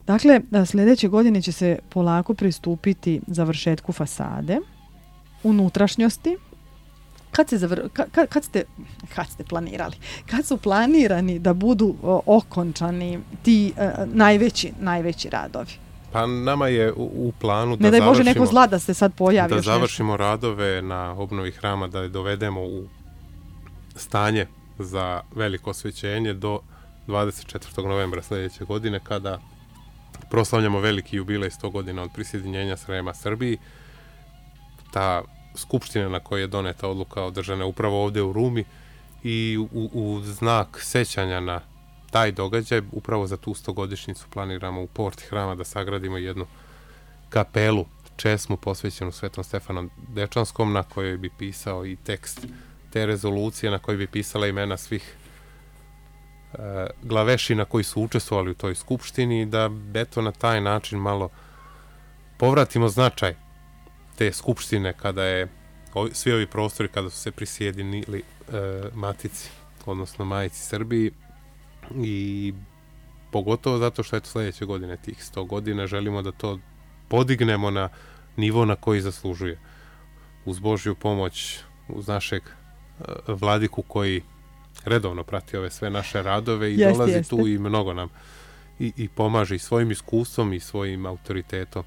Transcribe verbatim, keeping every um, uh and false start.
Dakle, sljedeće godine će se polako pristupiti završetku fasade, unutrašnjosti. Kad, se zavr... kad, kad, ste, kad ste planirali? Kad su planirani da budu o, okončani ti uh, najveći, najveći radovi? Pa nama je u, u planu da ne daj završimo... Bože neko zla da se sad pojavi. Da još završimo nešto. radove na obnovi hrama, da je dovedemo u stanje za veliko osvećenje do dvadeset četvrtog novembra sljedeće godine, kada proslavljamo veliki jubilej sto godina od prisjedinjenja Srema Srbiji. Ta skupština na kojoj je doneta odluka održana upravo ovdje u Rumi i u, u znak sećanja na taj događaj, upravo za tu stogodišnjicu planiramo u porti hrama da sagradimo jednu kapelu, česmu posvećenu Svetom Stefanu Dečanskom, na kojoj bi pisao i tekst te rezolucije, na kojoj bi pisala imena svih e, glavešina koji su učestvovali u toj skupštini, da eto na taj način malo povratimo značaj te skupštine kada je ovi, svi ovi prostori kada su se prisjedinili e, matici, odnosno majici Srbiji, i pogotovo zato što je to sljedeće godine tih sto godina želimo da to podignemo na nivo na koji zaslužuje. Uz Božju pomoć, uz našeg e, vladiku koji redovno prati ove sve naše radove i jeste, dolazi jeste. tu i mnogo nam i, i pomaže i svojim iskustvom i svojim autoritetom